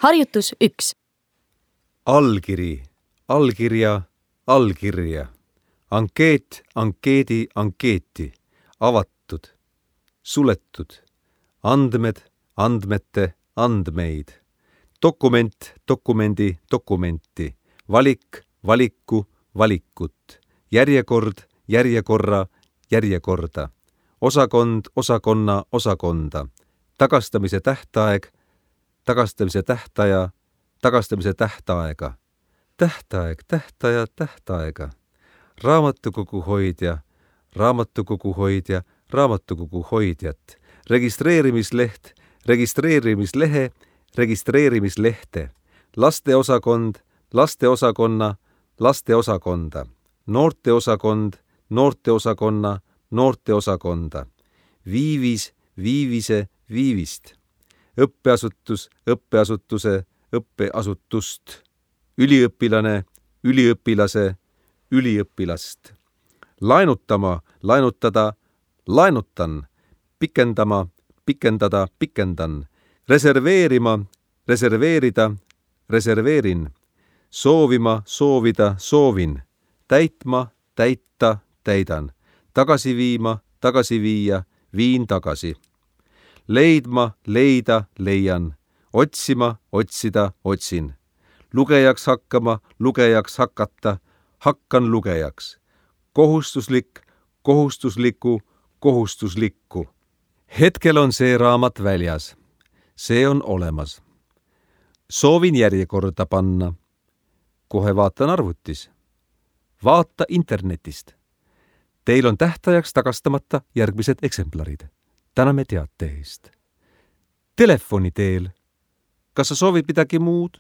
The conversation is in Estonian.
Harjutus 1. Allkiri, allkirja, allkirja. Ankeet, ankeedi, ankeeti. Avatud, suletud. Andmed, andmete, andmeid. Dokument, dokumendi, dokumenti. Valik, valiku, valikut. Järjekord, järjekorra, järjekorda. Osakond, osakonna, osakonda. Tagastamise tähtaeg, tagastamise tähtaja, tagastamise tähtaega. Tähtaeg, tähtaja, tähtaega. Raamatukogu hoidja, raamatukogu hoidja, raamatukogu hoidjat. Registreerimisleht, registreerimislehe, registreerimislehte. Lasteosakond, lasteosakonna, lasteosakonda. Noorteosakond, noorteosakonna, noorteosakonda. Viivis, viivise, viivist. Õppeasutus, õppeasutuse, õppeasutust. Üliõpilane, üliõpilase, üliõpilast. Laenutama, laenutada, laenutan. Pikendama, pikendada, pikendan. Reserveerima, reserveerida, reserveerin. Soovima, soovida, soovin. Täitma, täita, täidan. Tagasi viima, tagasi viia, viin tagasi. Leidma, leida, leian. Otsima, otsida, otsin. Lugejaks hakkama, lugejaks hakata, hakkan lugejaks. Kohustuslik, kohustusliku, kohustuslikku. Hetkel on see raamat väljas. See on olemas. Soovin järjekorda panna. Kohe vaatan arvutis. Vaata internetist. Teil on tähtajaks tagastamata järgmised eksemplarid. Täname teate eest. Telefoni teel. Kas sa soovid midagi muud?